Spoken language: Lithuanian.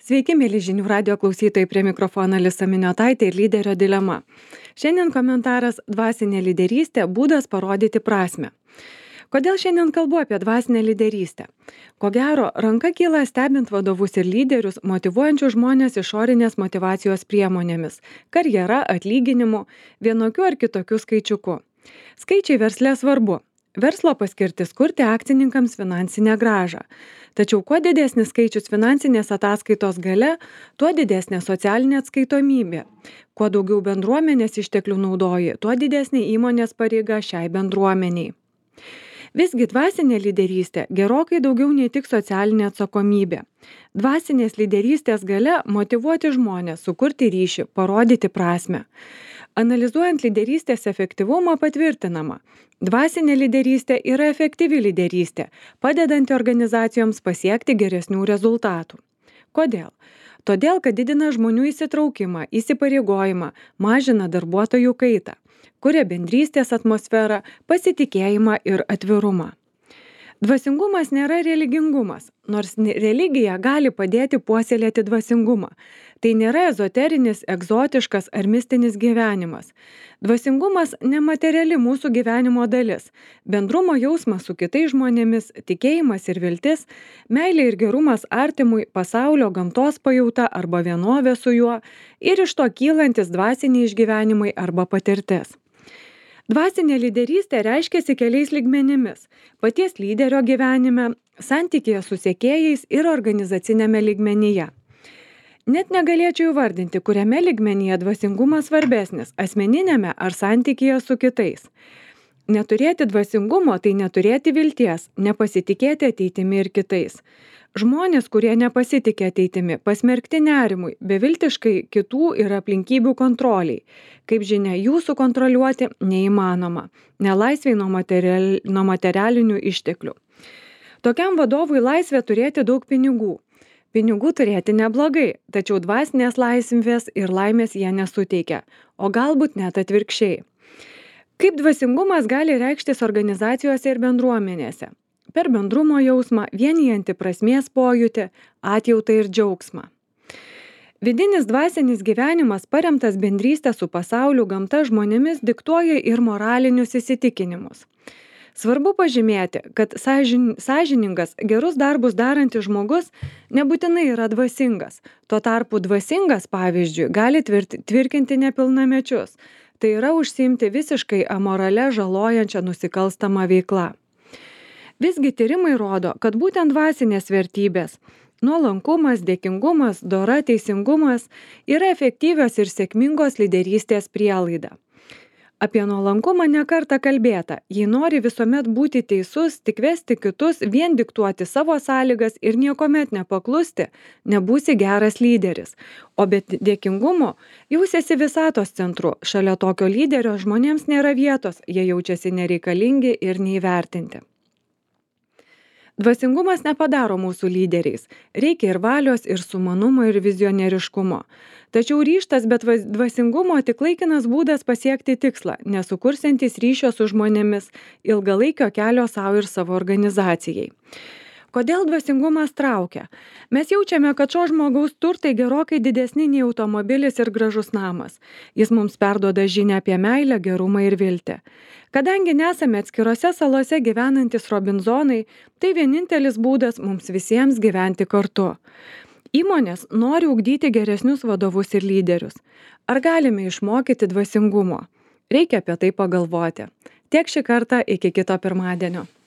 Sveiki, mėly žinių radio klausytojai, prie mikrofono Alisa Miniotaitė ir lyderio dilema. Šiandien komentaras dvasinė lyderystė – būdas parodyti prasmę. Kodėl šiandien kalbu apie dvasinę lyderystę? Ko gero, ranka kyla stebint vadovus ir lyderius, motyvuojančių žmonės išorinės motyvacijos priemonėmis – karjera, atlyginimu, vienokiu ar kitokiu skaičiuku. Skaičiai versle svarbu. Verslo paskirtis kurti akcininkams finansinę grąžą. Tačiau kuo didesnis skaičius finansinės ataskaitos gale, tuo didesnė socialinė atskaitomybė. Kuo daugiau bendruomenės išteklių naudoji, tuo didesnė įmonės pareiga šiai bendruomeniai. Visgi dvasinė lyderystė gerokai daugiau nei tik socialinė atsakomybė. Dvasinės lyderystės gale motyvuoti žmonės, sukurti ryšį, parodyti prasmę. Analizuojant lyderystės efektyvumą patvirtinama, dvasinė lyderystė yra efektyvi lyderystė, padedanti organizacijoms pasiekti geresnių rezultatų. Kodėl? Todėl, kad didina žmonių įsitraukimą, įsipareigojimą, mažina darbuotojų kaitą, kuria bendrystės atmosferą, pasitikėjimą ir atvirumą. Dvasingumas nėra religingumas, nors religija gali padėti puoselėti dvasingumą. Tai nėra ezoterinis, egzotiškas ar mistinis gyvenimas. Dvasingumas nemateriali mūsų gyvenimo dalis. Bendrumo jausmas su kitais žmonėmis, tikėjimas ir viltis, meilė ir gerumas artimui, pasaulio gamtos pajauta arba vienovė su juo ir iš to kylantis dvasiniai išgyvenimai arba patirtis. Dvasinė lyderystė reiškiasi keliais lygmenimis – paties lyderio gyvenime, santykėje su sekėjais ir organizacinėme lygmenyje. Net negalėčiau įvardinti, kuriame lygmenyje dvasingumas svarbesnis – asmeninėme ar santykėje su kitais. Neturėti dvasingumo – tai neturėti vilties, nepasitikėti ateitimi ir kitais. Žmonės, kurie nepasitikė ateitimi, pasmerkti nerimui, beviltiškai kitų ir aplinkybių kontroliai. Kaip žinia, jų sukontroliuoti neįmanoma, nelaisvei nuo materialinių išteklių. Tokiam vadovui laisvė turėti daug pinigų. Pinigų turėti neblogai, tačiau dvasinės laisvės ir laimės jie nesuteikia, o galbūt net atvirkščiai. Kaip dvasingumas gali reikštis organizacijose ir bendruomenėse? Per bendrumo jausmą, vienijantį prasmės pojūtį, atjautą ir džiaugsmą. Vidinis dvasinis gyvenimas paremtas bendrystė su pasauliu, gamta, žmonėmis diktuoja ir moralinius įsitikinimus. Svarbu pažymėti, kad sąžiningas, gerus darbus darantis žmogus nebūtinai yra dvasingas. Tuo tarpu dvasingas, pavyzdžiui, gali tvirkinti nepilnamečius. Tai yra užsiimti visiškai amorale žalojančią nusikalstamą veiklą. Visgi tyrimai rodo, kad būtent dvasinės vertybės – nuolankumas, dėkingumas, dora, teisingumas – yra efektyvios ir sėkmingos lyderystės prielaida. Apie nuolankumą ne kartą kalbėta. Jei nori visuomet būti teisus, tik vesti kitus, vien diktuoti savo sąlygas ir niekuomet nepaklusti, nebūsi geras lyderis. O be dėkingumo jausiesi visatos centru. Šalia tokio lyderio žmonėms nėra vietos, jie jaučiasi nereikalingi ir neįvertinti. Dvasingumas nepadaro mūsų lyderiais. Reikia ir valios, ir sumanumo, ir vizionieriškumo. Tačiau ryžtas be dvasingumo tik laikinas būdas pasiekti tikslą, nesukursiantis ryšio su žmonėmis, ilgalaikio kelio savo ir savo organizacijai. Kodėl dvasingumas traukia? Mes jaučiame, kad šio žmogaus turtai gerokai didesni nei automobilis ir gražus namas. Jis mums perduoda žinią apie meilę, gerumą ir viltį. Kadangi nesame atskirose salose gyvenantis Robinzonai, tai vienintelis būdas mums visiems gyventi kartu. Įmonės nori ugdyti geresnius vadovus ir lyderius. Ar galime išmokyti dvasingumo? Reikia apie tai pagalvoti. Tiek šį kartą, iki kito pirmadienio.